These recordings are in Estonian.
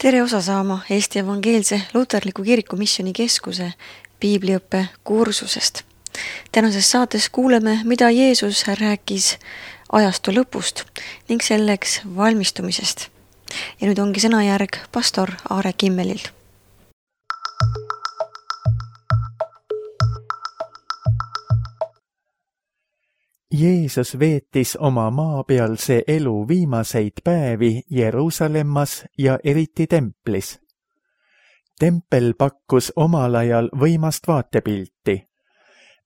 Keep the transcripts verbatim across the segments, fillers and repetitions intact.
Tere osa saama Eesti Evangeelse Luterliku Kiriku Missioni Keskuse piibliõppe kursusest. Tänases saates kuuleme, mida Jeesus rääkis ajastu lõpust ning selleks valmistumisest. Ja nüüd ongi sõnajärg pastor Aare Kimmelilt. Jeesus veetis oma maapealse elu viimaseid päevi Jeruusalemmas ja eriti templis. Tempel pakkus omal ajal võimast vaatepilti.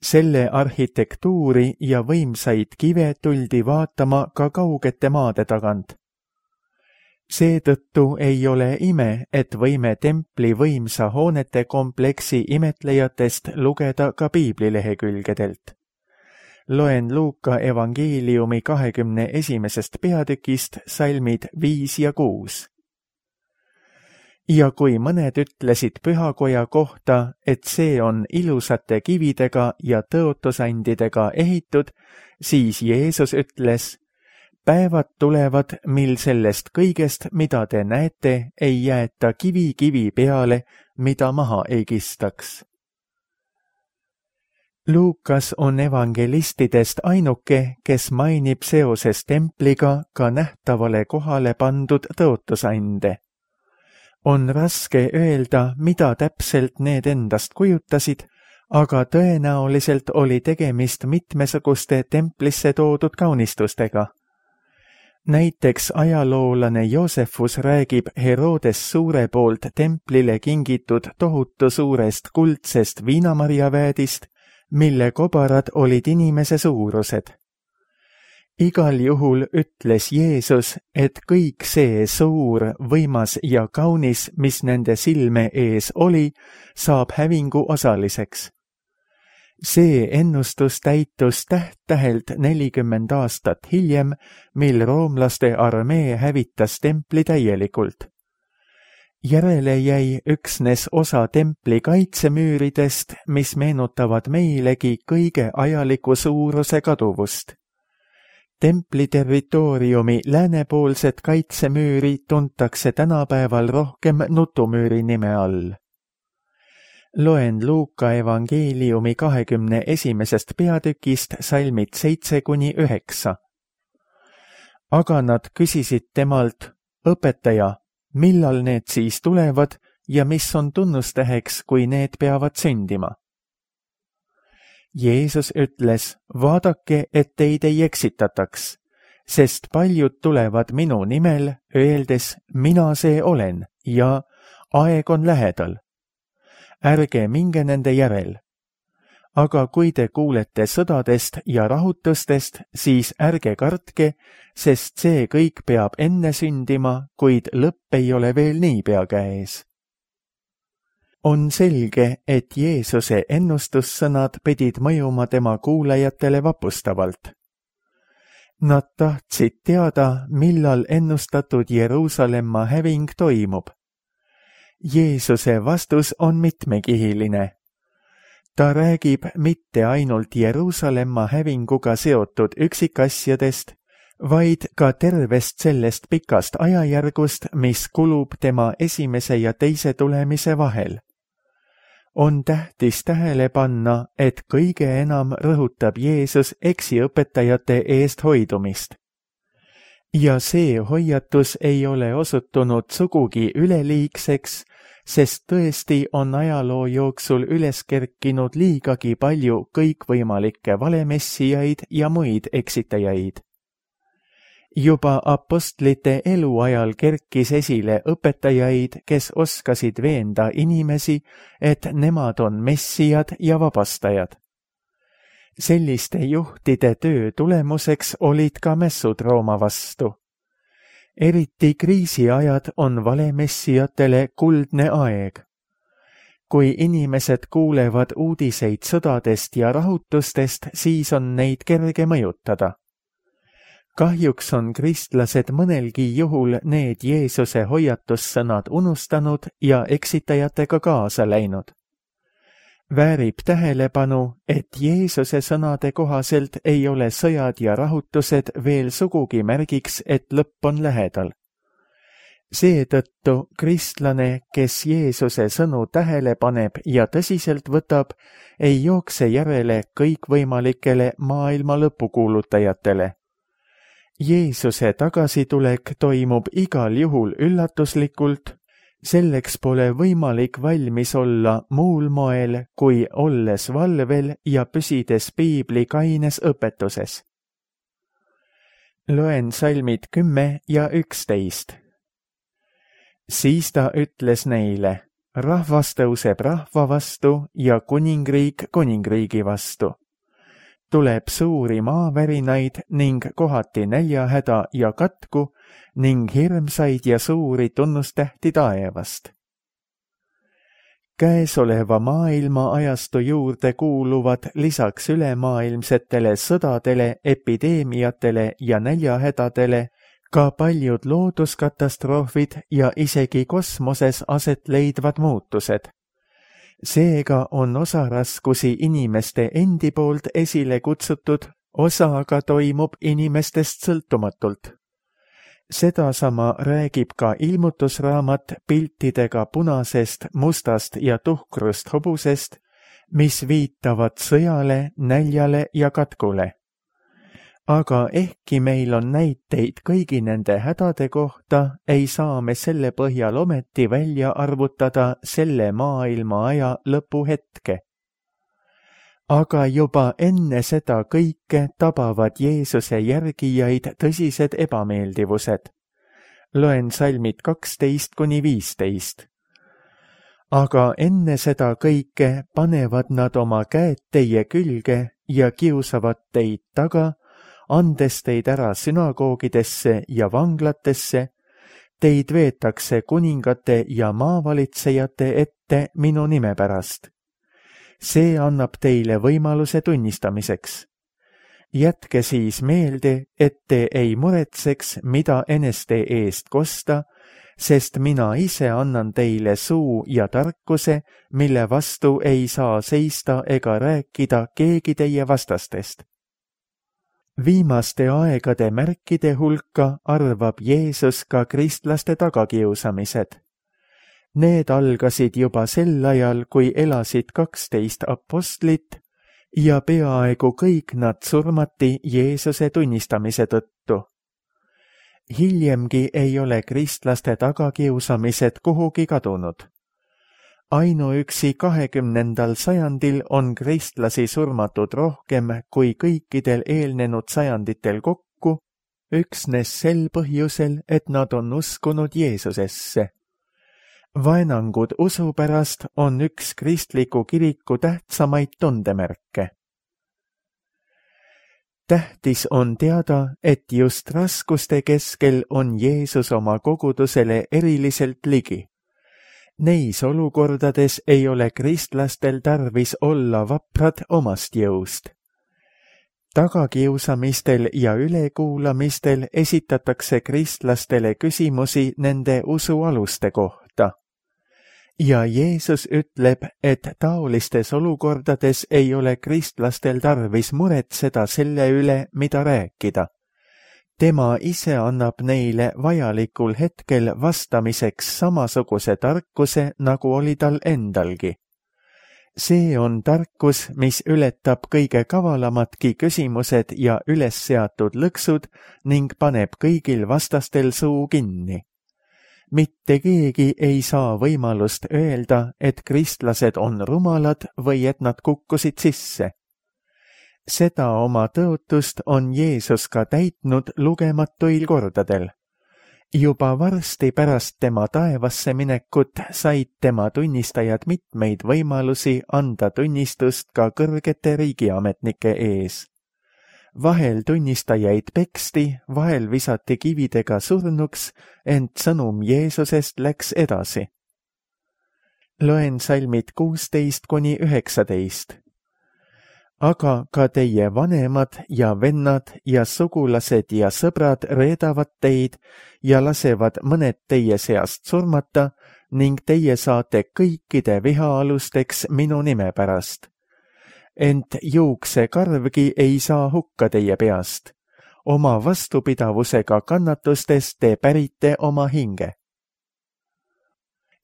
Selle arhitektuuri ja võimsaid kive tuldi vaatama ka kaugete maade tagant. Seetõttu ei ole ime, et võime templi võimsa hoonete kompleksi imetlejatest lugeda ka piiblilehekülgedelt. Loen Luuka evangeeliumi kahekümne esimesest peatükist salmid viis ja kuus. Ja kui mõned ütlesid pühakoja kohta, et see on ilusate kividega ja tõotusandidega ehitud, siis Jeesus ütles, päevad tulevad, mil sellest kõigest, mida te näete, ei jäeta kivi kivi peale, mida maha ei kistaks. Luukas on evangelistidest ainuke, kes mainib seoses templiga ka nähtavale kohale pandud tõotusande. On raske öelda, mida täpselt need endast kujutasid, aga tõenäoliselt oli tegemist mitmesuguste templisse toodud kaunistustega. Näiteks ajaloolane Joosefus räägib Herodes suure poolt templile kingitud tohutu suurest kuldsest viinamarjaväedist, mille kobarad olid inimese suurused. Igal juhul ütles Jeesus, et kõik see suur, võimas ja kaunis, mis nende silme ees oli, saab hävingu osaliseks. See ennustus täitus täht-tähelt nelikümmend aastat hiljem, mil roomlaste armee hävitas templi täielikult. Järele jäi üksnes osa templi kaitsemüüridest, mis meenutavad meilegi kõige ajaliku suuruse kaduvust. Templi territooriumi läänepoolset kaitsemüüri tuntakse tänapäeval rohkem nutumüüri nime all. Loen Luuka evangeeliumi kahekümne esimesest peatükist salmid seitse kuni üheksa. Aga nad küsisid temalt, õpetaja, millal need siis tulevad ja mis on tunnustäheks, kui need peavad sündima? Jeesus ütles, vaadake, et teid ei eksitataks, sest paljud tulevad minu nimel, öeldes, mina see olen ja aeg on lähedal. Ärge minge nende järel. Aga kui te kuulete sõdadest ja rahutustest, siis ärge kartke, sest see kõik peab enne sündima, kuid lõpp ei ole veel niipea käes. On selge, et Jeesuse ennustussõnad pidid mõjuma tema kuulajatele vapustavalt. Nad tahtsid teada, millal ennustatud Jeruusalemma häving toimub. Jeesuse vastus on mitmekihiline. Ta räägib mitte ainult Jeruusalemma hävinguga seotud üksikasjadest, vaid ka tervest sellest pikast ajajärgust, mis kulub tema esimese ja teise tulemise vahel. On tähtis tähele panna, et kõige enam rõhutab Jeesus eksiõpetajate eest hoidumist. Ja see hoiatus ei ole osutunud sugugi üleliigseks, sest tõesti on ajaloo jooksul üles kerkinud liigagi palju kõikvõimalikke valemessijaid ja muid eksitajaid. Juba apostlite eluajal kerkis esile õpetajaid, kes oskasid veenda inimesi, et nemad on messijad ja vabastajad. Selliste juhtide töö tulemuseks olid ka mässud Rooma vastu. Eriti kriisiajad on valemessijatele kuldne aeg. Kui inimesed kuulevad uudiseid sõdadest ja rahutustest, siis on neid kerge mõjutada. Kahjuks on kristlased mõnelgi juhul need Jeesuse hoiatussõnad unustanud ja eksitajatega kaasa läinud. Väärib tähelepanu, et Jeesuse sõnade kohaselt ei ole sõjad ja rahutused veel sugugi märgiks, et lõpp on lähedal. Seetõttu kristlane, kes Jeesuse sõnu tähele paneb ja tõsiselt võtab, ei jookse järele kõikvõimalikele maailma lõpukuulutajatele. Jeesuse tagasitulek toimub igal juhul üllatuslikult, selleks pole võimalik valmis olla muul moel, kui olles valvel ja püsides piibli kaines õpetuses. Loen salmid kümme ja üksteist. Siis ta ütles neile, rahvas tõuseb rahva vastu ja kuningriik kuningriigi vastu. Tuleb suuri maavärinaid ning kohati näljahäda ja katku ning hirmsaid ja suuri tunnustähti taevast. Käesoleva maailma ajastu juurde kuuluvad lisaks ülemaailmsetele sõdadele, epideemiatele ja näljahädadele ka paljud looduskatastroofid ja isegi kosmoses aset leidvad muutused. Seega on osa raskusi inimeste endi poolt esile kutsutud, osa aga toimub inimestest sõltumatult. Sedasama räägib ka ilmutusraamat piltidega punasest, mustast ja tuhkrust hobusest, mis viitavad sõjale, näljale ja katkule. Aga ehkki meil on näiteid kõigi nende hädade kohta, ei saa me selle põhjal ometi välja arvutada selle maailma aja lõpuhetke. Aga juba enne seda kõike tabavad Jeesuse järgijaid tõsised ebameeldivused. Loen salmid kaksteist kuni viisteist. Aga enne seda kõike panevad nad oma käed teie külge ja kiusavad teid taga, andes teid ära sünagoogidesse ja vanglatesse, teid veetakse kuningate ja maavalitsejate ette minu nime pärast. See annab teile võimaluse tunnistamiseks. Jätke siis meelde, et te ei muretseks, mida eneste eest kosta, sest mina ise annan teile suu ja tarkuse, mille vastu ei saa seista ega rääkida keegi teie vastastest. Viimaste aegade märkide hulka arvab Jeesus ka kristlaste tagakiusamised. Need algasid juba sel ajal, kui elasid kaksteist apostlit ja peaaegu kõik nad surmati Jeesuse tunnistamise tõttu. Hiljemgi ei ole kristlaste tagakiusamised kuhugi kadunud. Ainuüksi kahekümnendal sajandil on kristlasi surmatud rohkem kui kõikidel eelnenud sajanditel kokku, üksnes sel põhjusel, et nad on uskunud Jeesusesse. Vaenangud usu pärast on üks kristliku kiriku tähtsamaid tundemärke. Tähtis on teada, et just raskuste keskel on Jeesus oma kogudusele eriliselt ligi. Neis olukordades ei ole kristlastel tarvis olla vaprad omast jõust. Tagakiusamistel ja ülekuulamistel esitatakse kristlastele küsimusi nende usu aluste kohta. Ja Jeesus ütleb, et taolistes olukordades ei ole kristlastel tarvis muretseda selle üle, mida rääkida. Tema ise annab neile vajalikul hetkel vastamiseks samasuguse tarkuse, nagu oli tal endalgi. See on tarkus, mis ületab kõige kavalamatki küsimused ja üles seatud lõksud ning paneb kõigil vastastel suu kinni. Mitte keegi ei saa võimalust öelda, et kristlased on rumalad või et nad kukkusid sisse. Seda oma tõotust on Jeesus ka täitnud lugematuil kordadel. Juba varsti pärast tema taevasse minekut said tema tunnistajad mitmeid võimalusi anda tunnistust ka kõrgete riigiametnike ees. Vahel tunnistajaid peksti, vahel visati kividega surnuks, ent sõnum Jeesusest läks edasi. Loen salmid kuusteist kuni üheksateist. Aga ka teie vanemad ja vennad ja sugulased ja sõbrad reedavad teid ja lasevad mõned teie seast surmata ning teie saate kõikide vihaalusteks minu nime pärast. Ent juuksekarvgi ei saa hukka teie peast. Oma vastupidavusega kannatustes te pärite oma hinge.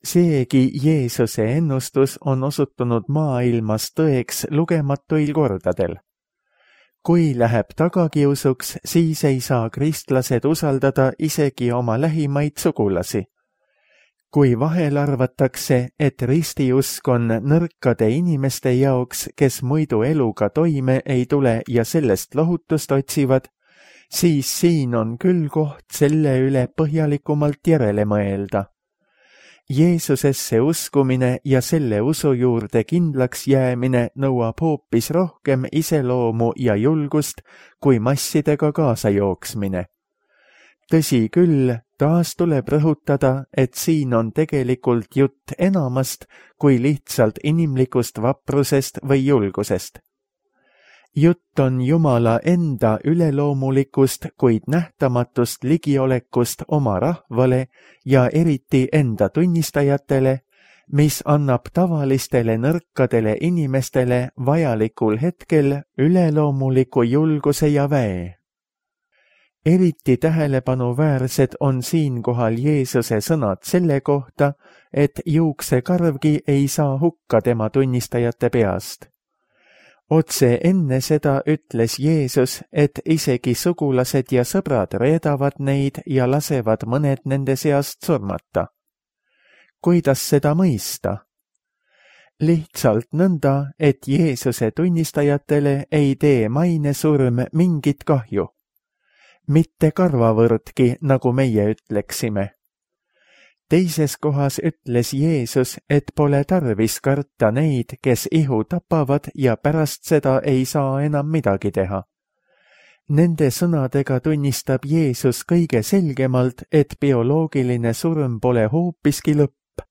seegi Jeesuse ennustus on osutunud maailmas tõeks lugematuil kordadel. Kui läheb tagakiusuks, siis ei saa kristlased usaldada isegi oma lähimaid sugulasi. Kui vahel arvatakse, et ristiusk on nõrkade inimeste jaoks, kes muidu eluga toime ei tule ja sellest lohutust otsivad, siis siin on küll koht selle üle põhjalikumalt järele mõelda. Jeesusesse uskumine ja selle usu juurde kindlaks jäämine nõuab hoopis rohkem iseloomu ja julgust kui massidega kaasa jooksmine. Tõsi küll, taas tuleb rõhutada, et siin on tegelikult jutt enamast kui lihtsalt inimlikust vaprusest või julgusest. Jutt on Jumala enda üleloomulikust, kuid nähtamatust ligiolekust oma rahvale ja eriti enda tunnistajatele, mis annab tavalistele nõrkadele inimestele vajalikul hetkel üleloomuliku julguse ja väe. Eriti tähelepanuväärsed on siinkohal Jeesuse sõnad selle kohta, et juuksekarvgi ei saa hukka tema tunnistajate peast. Otse enne seda ütles Jeesus, et isegi sugulased ja sõbrad reedavad neid ja lasevad mõned nende seast surmata. Kuidas seda mõista? Lihtsalt nõnda, et Jeesuse tunnistajatele ei tee mainesurm mingit kahju. Mitte karvavõrdki, nagu meie ütleksime. Teises kohas ütles Jeesus, et pole tarvis karta neid, kes ihu tapavad ja pärast seda ei saa enam midagi teha. Nende sõnadega tunnistab Jeesus kõige selgemalt, et bioloogiline surm pole hoopiski lõpp.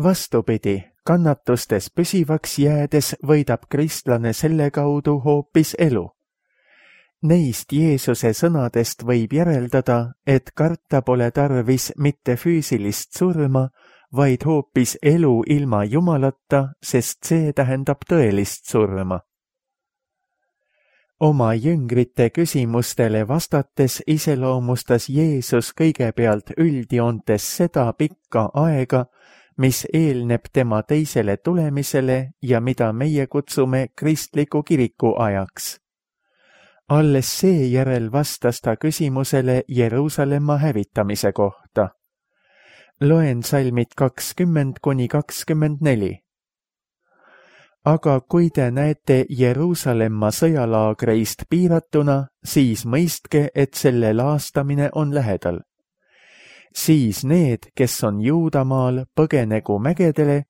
Vastupidi, kannatustes püsivaks jäädes võidab kristlane selle kaudu hoopis elu. Neist Jeesuse sõnadest võib järeldada, et karta pole tarvis mitte füüsilist surma, vaid hoopis elu ilma Jumalata, sest see tähendab tõelist surma. Oma jüngrite küsimustele vastates iseloomustas Jeesus kõigepealt üldjoontes seda pikka aega, mis eelneb tema teisele tulemisele ja mida meie kutsume kristliku kiriku ajaks. Alles seejärel vastas ta küsimusele Jeruusalemma hävitamise kohta. Loen salmid kakskümmend kuni kakskümmend neli. Aga kui te näete Jeruusalemma sõjalaagreist piiratuna, siis mõistke, et selle laastamine on lähedal. Siis need, kes on Juudamaal, põgenegu mägedele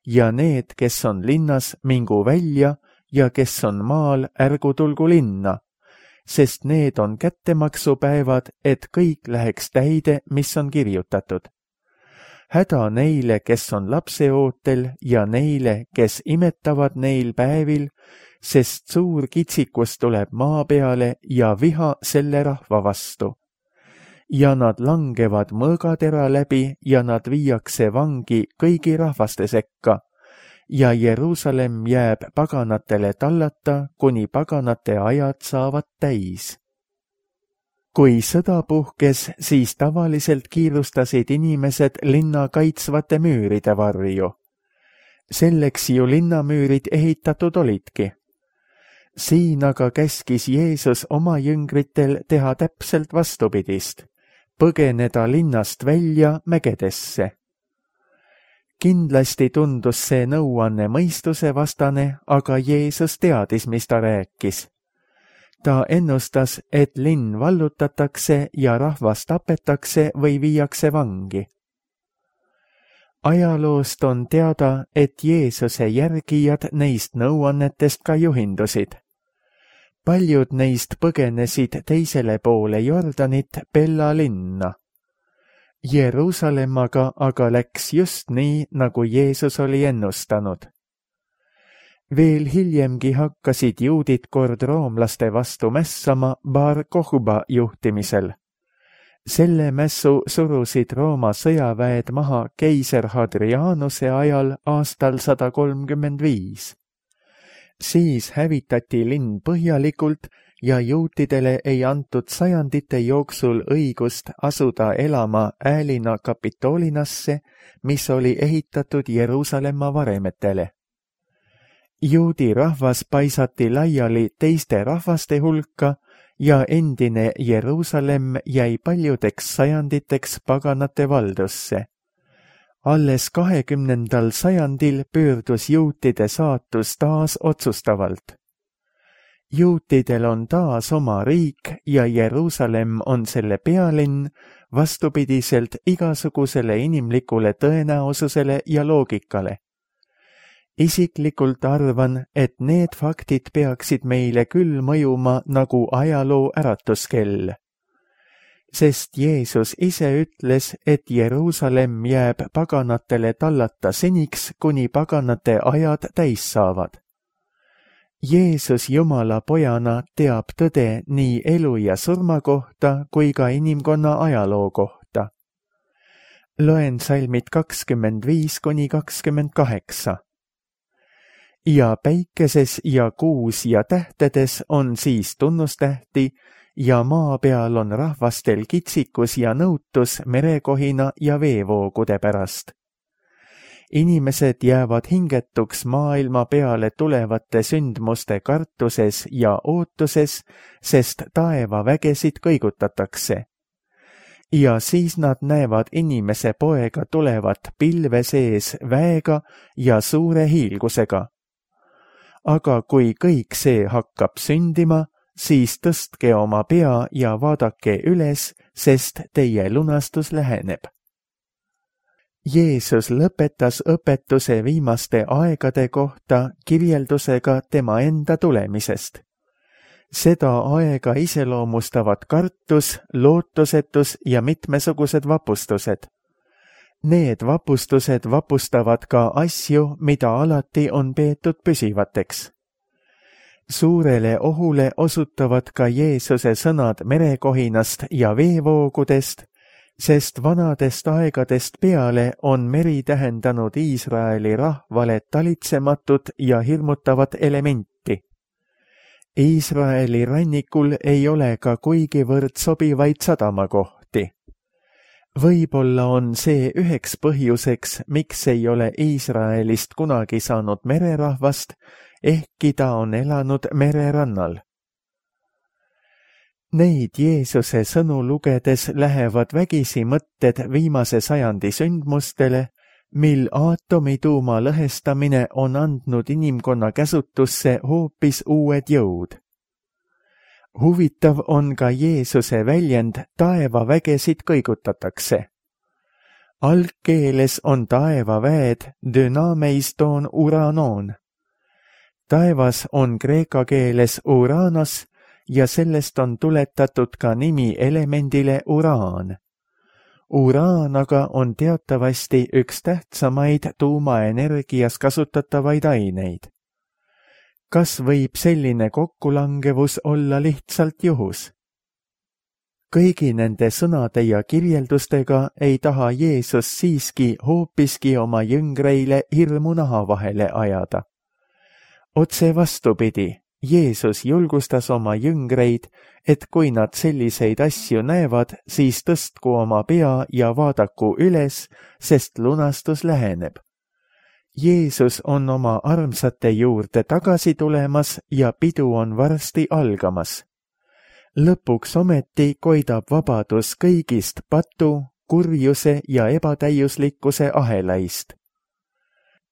ja need, kes on linnas, mingu välja ja kes on maal, ärgu tulgu linna, sest need on kättemaksupäevad, et kõik läheks täide, mis on kirjutatud. Häda neile, kes on lapseootel ja neile, kes imetavad neil päevil, sest suur kitsikus tuleb maa peale ja viha selle rahva vastu. Ja nad langevad mõõgatera läbi ja nad viiakse vangi kõigi rahvaste sekka. Ja Jeruusalemm jääb paganatele tallata, kuni paganate ajad saavad täis. Kui sõda puhkes, siis tavaliselt kiirustasid inimesed linna kaitsvate müüride varju. Selleks ju linnamüürid ehitatud olidki. Siin aga käskis Jeesus oma jüngritel teha täpselt vastupidist, põgeneda linnast välja mägedesse. Kindlasti tundus see nõuanne mõistuse vastane, aga Jeesus teadis, mis ta rääkis. Ta ennustas, et linn vallutatakse ja rahvas tapetakse või viiakse vangi. Ajaloost on teada, et Jeesuse järgijad neist nõuannetest ka juhindusid. Paljud neist põgenesid teisele poole Jordanit Pella linna. Jeruusalemmaga aga läks just nii, nagu Jeesus oli ennustanud. Veel hiljemgi hakkasid juudid kord roomlaste vastu mässama Bar Kokhba juhtimisel. Selle mässu surusid Rooma sõjaväed maha keiser Hadrianuse ajal aastal sada kolmkümmend viis. Siis hävitati linn põhjalikult ja juutidele ei antud sajandite jooksul õigust asuda elama Äälina Kapitoolinasse, mis oli ehitatud Jeruusalemma varemetele. Juudi rahvas paisati laiali teiste rahvaste hulka ja endine Jeruusalemm jäi paljudeks sajanditeks paganate valdusse. Alles kahekümnendal sajandil pöördus juutide saatus taas otsustavalt. Juutidel on taas oma riik ja Jeruusalemm on selle pealinn, vastupidiselt igasugusele inimlikule tõenäosusele ja loogikale. Isiklikult arvan, et need faktid peaksid meile küll mõjuma nagu ajaloo äratuskell. Sest Jeesus ise ütles, et Jeruusalemm jääb paganatele tallata seniks, kuni paganate ajad täis saavad. Jeesus Jumala pojana teab tõde nii elu ja surma kohta kui ka inimkonna ajaloo kohta. Loen salmid kakskümmend viis kuni kakskümmend kaheksa. Ja päikeses ja kuus ja tähtedes on siis tunnustähti ja maa peal on rahvastel kitsikus ja nõutus merekohina ja veevoogude pärast. Inimesed jäävad hingetuks maailma peale tulevate sündmuste kartuses ja ootuses, sest taeva vägesid kõigutatakse. Ja siis nad näevad inimese poega tulevat pilve sees väega ja suure hiilgusega. Aga kui kõik see hakkab sündima, siis tõstke oma pea ja vaadake üles, sest teie lunastus läheneb. Jeesus lõpetas õpetuse viimaste aegade kohta kirjeldusega tema enda tulemisest. Seda aega iseloomustavad kartus, lootusetus ja mitmesugused vapustused. Need vapustused vapustavad ka asju, mida alati on peetud püsivateks. Suurele ohule osutavad ka Jeesuse sõnad merekohinast ja veevoogudest, sest vanadest aegadest peale on meri tähendanud Iisraeli rahvale talitsematut ja hirmutavat elementi. Iisraeli rannikul ei ole ka kuigivõrd sobivaid sadamakohti. Võib-olla on see üheks põhjuseks, miks ei ole Iisraelist kunagi saanud mererahvast, ehkki ta on elanud mererannal. Neid Jeesuse sõnu lugedes lähevad vägisi mõtted viimase sajandi sündmustele, mil aatomituuma lõhestamine on andnud inimkonna käsutusse hoopis uued jõud. Huvitav on ka Jeesuse väljend taevavägesid kõigutatakse. Algkeeles on taevaväed dünameiston uranon. Taevas on kreeka keeles uranos ja sellest on tuletatud ka nimi elemendile uraan. Uraan aga on teatavasti üks tähtsamaid tuumaenergias kasutatavaid aineid. Kas võib selline kokkulangevus olla lihtsalt juhus? Kõigi nende sõnade ja kirjeldustega ei taha Jeesus siiski hoopiski oma jüngreile hirmu naha vahele ajada. Otse vastupidi, Jeesus julgustas oma jüngreid, et kui nad selliseid asju näevad, siis tõstku oma pea ja vaadaku üles, sest lunastus läheneb. Jeesus on oma armsate juurde tagasi tulemas ja pidu on varsti algamas. Lõpuks ometi koidab vabadus kõigist patu, kurjuse ja ebatäiuslikkuse ahelaist.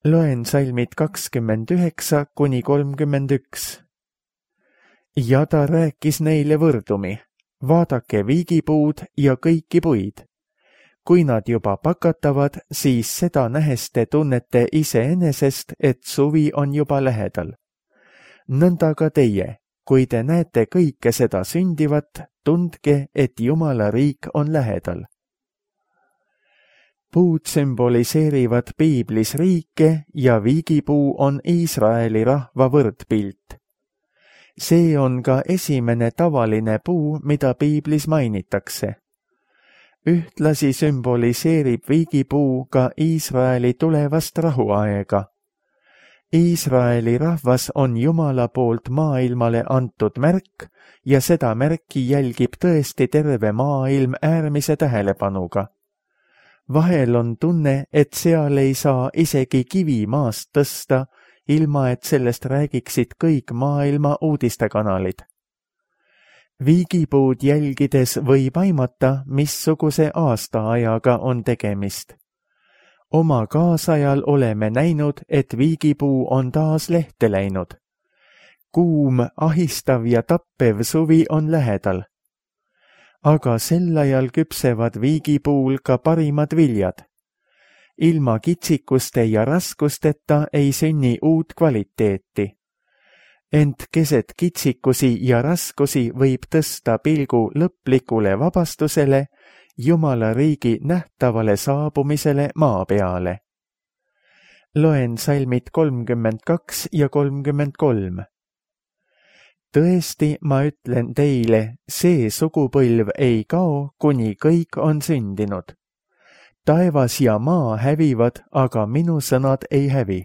Loen salmid kakskümmend üheksa kuni kolmkümmend üks. Ja ta rääkis neile võrdumi, vaadake viigipuud ja kõiki puid. Kui nad juba pakatavad, siis seda nähes te tunnete iseenesest, et suvi on juba lähedal. Nõnda ka teie, kui te näete kõike seda sündivat, tundke, et Jumala riik on lähedal. Puud sümboliseerivad piiblis riike ja viigipuu on Iisraeli rahva võrdpilt. See on ka esimene tavaline puu, mida piiblis mainitakse. Ühtlasi sümboliseerib viigipuu ka Iisraeli tulevast rahuaega. Iisraeli rahvas on Jumala poolt maailmale antud märk ja seda märki jälgib tõesti terve maailm äärmise tähelepanuga. Vahel on tunne, et seal ei saa isegi kivi maast tõsta, ilma et sellest räägiksid kõik maailma uudistekanalid. Viigipuud jälgides võib aimata, missuguse aastaajaga on tegemist. Oma kaasajal oleme näinud, et viigipuu on taas lehte läinud. Kuum, ahistav ja tappev suvi on lähedal. Aga sel ajal küpsevad viigipuul ka parimad viljad. Ilma kitsikuste ja raskusteta ei sünni uut kvaliteeti. Ent keset kitsikusi ja raskusi võib tõsta pilgu lõplikule vabastusele, Jumala riigi nähtavale saabumisele maa peale. Loen salmid kolmkümmend kaks ja kolmkümmend kolm. Tõesti, ma ütlen teile, see sugupõlv ei kao, kuni kõik on sündinud. Taevas ja maa hävivad, aga minu sõnad ei hävi.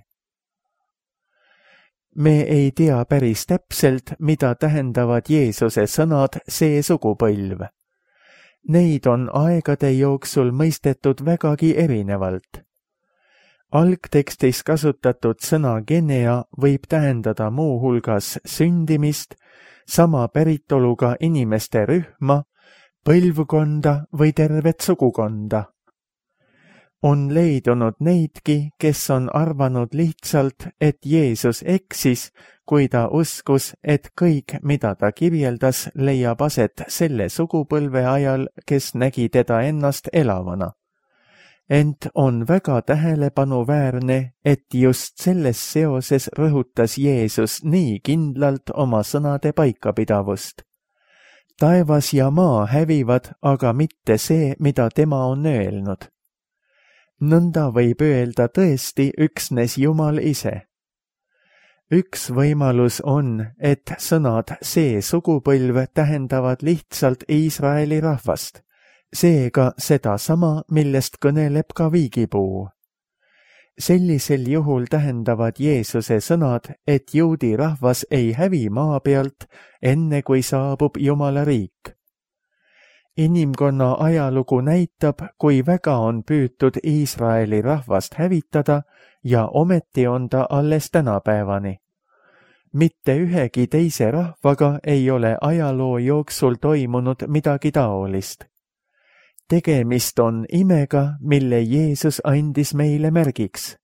Me ei tea päris täpselt, mida tähendavad Jeesuse sõnad see sugupõlv. Neid on aegade jooksul mõistetud vägagi erinevalt. Algtekstis kasutatud sõna genea võib tähendada muu hulgas sündimist, sama päritoluga inimeste rühma, põlvkonda või tervet sugukonda. On leidunud neidki, kes on arvanud lihtsalt, et Jeesus eksis, kui ta uskus, et kõik, mida ta kirjeldas, leiab aset selle sugupõlve ajal, kes nägi teda ennast elavana. Ent on väga tähelepanuväärne, et just selles seoses rõhutas Jeesus nii kindlalt oma sõnade paikapidavust. Taevas ja maa hävivad, aga mitte see, mida tema on öelnud. Nõnda võib öelda tõesti üksnes Jumal ise. Üks võimalus on, et sõnad see sugupõlv tähendavad lihtsalt Iisraeli rahvast, seega seda sama, millest kõneleb ka viigipuu. Sellisel juhul tähendavad Jeesuse sõnad, et juudi rahvas ei hävi maa pealt, enne kui saabub Jumala riik. Inimkonna ajalugu näitab, kui väga on püütud Iisraeli rahvast hävitada ja ometi on ta alles tänapäevani. Mitte ühegi teise rahvaga ei ole ajaloo jooksul toimunud midagi taolist. Tegemist on imega, mille Jeesus andis meile märgiks.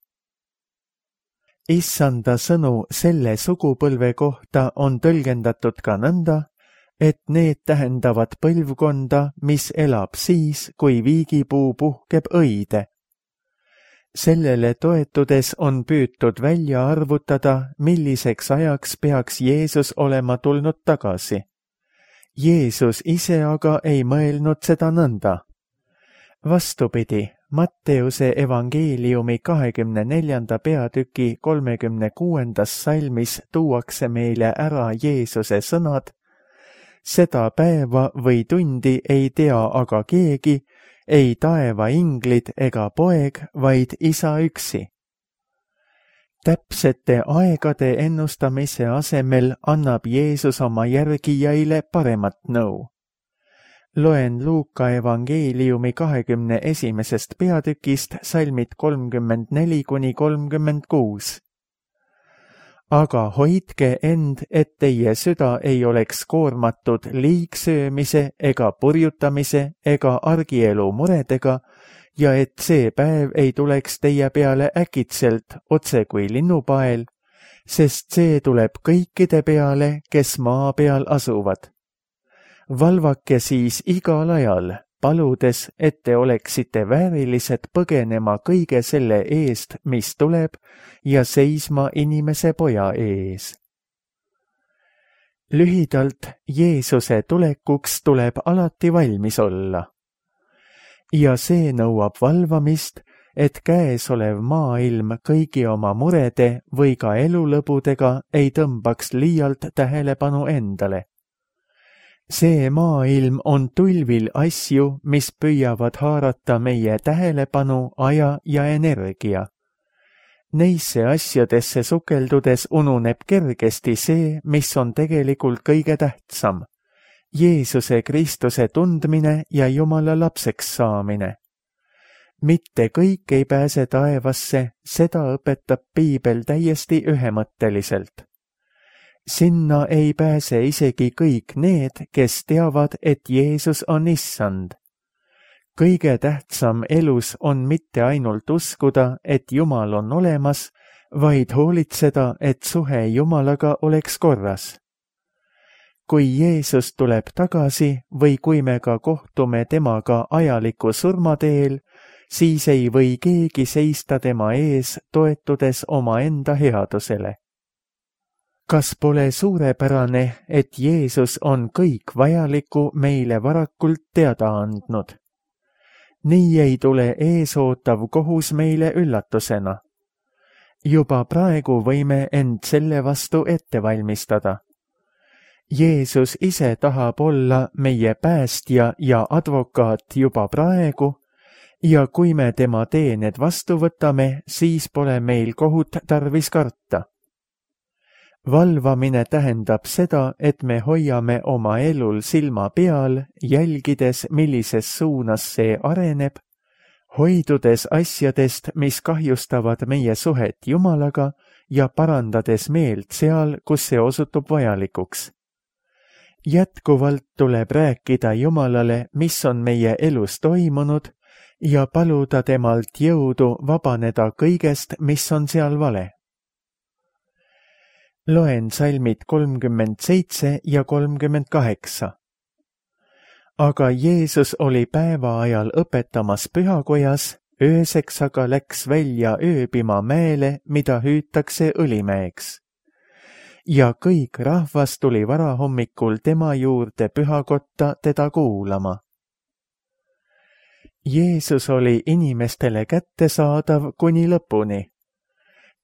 Issanda sõnu selle sugupõlve kohta on tõlgendatud ka nõnda, et need tähendavad põlvkonda, mis elab siis, kui viigipuu puhkeb õide. Sellele toetudes on püütud välja arvutada, milliseks ajaks peaks Jeesus olema tulnud tagasi. Jeesus ise aga ei mõelnud seda nõnda. Vastupidi, Matteuse evangeeliumi kahekümne neljanda peatüki kolmekümne kuuendas salmis tuuakse meile ära Jeesuse sõnad: seda päeva või tundi ei tea aga keegi, ei taeva inglid ega poeg, vaid isa üksi. Täpsete aegade ennustamise asemel annab Jeesus oma järgijaile paremat nõu. Loen Luuka evangeeliumi kahekümne esimesest peatükist salmid kolmkümmend neli kuni kolmkümmend kuus. Aga hoidke end, et teie süda ei oleks koormatud liigsöömise ega purjutamise ega argielu muredega ja et see päev ei tuleks teie peale äkitselt otse kui linnupael, sest see tuleb kõikide peale, kes maa peal asuvad. Valvake siis igal ajal, paludes, et te oleksite väärilised põgenema kõige selle eest, mis tuleb, ja seisma inimese poja ees. Lühidalt, Jeesuse tulekuks tuleb alati valmis olla. Ja see nõuab valvamist, et käesolev maailm kõigi oma murede või ka elulõbudega ei tõmbaks liialt tähelepanu endale. See maailm on tulvil asju, mis püüavad haarata meie tähelepanu, aja ja energia. Neisse asjadesse sukeldudes ununeb kergesti see, mis on tegelikult kõige tähtsam. Jeesuse Kristuse tundmine ja Jumala lapseks saamine. Mitte kõik ei pääse taevasse, seda õpetab piibel täiesti ühemõtteliselt. Sinna ei pääse isegi kõik need, kes teavad, et Jeesus on issand. Kõige tähtsam elus on mitte ainult uskuda, et Jumal on olemas, vaid hoolitseda, et suhe Jumalaga oleks korras. Kui Jeesus tuleb tagasi või kui me ka kohtume temaga ajaliku surmateel, siis ei või keegi seista tema ees, toetudes omaenda headusele. Kas pole suurepärane, et Jeesus on kõik vajaliku meile varakult teada andnud? Nii ei tule eesootav kohus meile üllatusena. Juba praegu võime end selle vastu ette valmistada. Jeesus ise tahab olla meie päästja ja advokaat juba praegu, ja kui me tema teened vastu võtame, siis pole meil kohut tarvis karta. Valvamine tähendab seda, et me hoiame oma elul silma peal, jälgides, millises suunas see areneb, hoidudes asjadest, mis kahjustavad meie suhet Jumalaga ja parandades meelt seal, kus see osutub vajalikuks. Jätkuvalt tuleb rääkida Jumalale, mis on meie elus toimunud, ja paluda temalt jõudu vabaneda kõigest, mis on seal vale. Loen salmid kolmkümmend seitse ja kolmkümmend kaheksa. Aga Jeesus oli päeva ajal õpetamas pühakojas, ööseks aga läks välja ööbima mäele, mida hüütakse Õlimäeks. Ja kõik rahvas tuli varahommikul tema juurde pühakotta teda kuulama. Jeesus oli inimestele kättesaadav kuni lõpuni.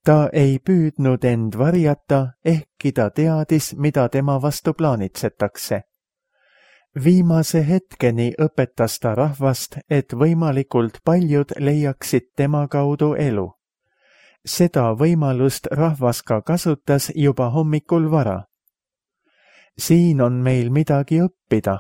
Ta ei püüdnud end varjata, ehkki ta teadis, mida tema vastu plaanitsetakse. Viimase hetkeni õpetas ta rahvast, et võimalikult paljud leiaksid tema kaudu elu. Seda võimalust rahvas ka kasutas juba hommikul vara. Siin on meil midagi õppida.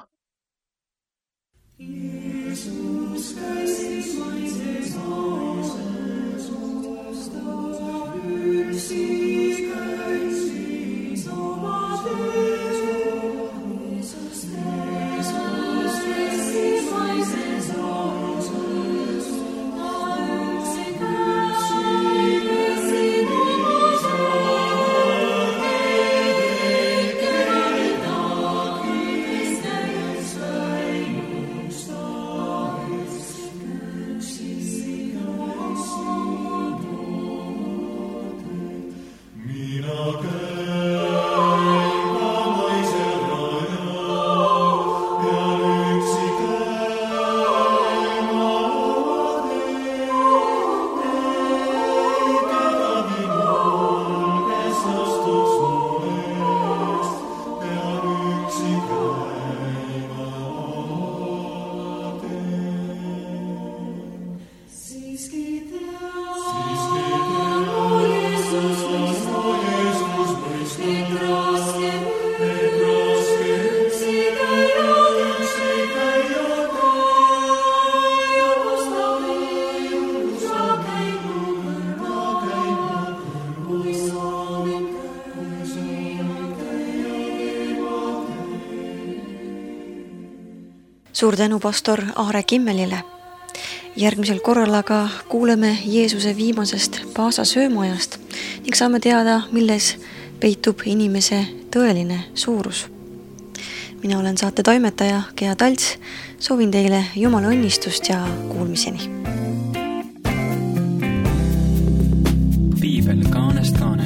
Suur tänu pastor Aare Kimmelile. Järgmisel korral aga kuuleme Jeesuse viimasest paasa söömaajast ning saame teada, milles peitub inimese tõeline suurus. Mina olen saate toimetaja Gea Talts, soovin teile Jumala õnnistust ja kuulmiseni. Piibel kaanest kaanest.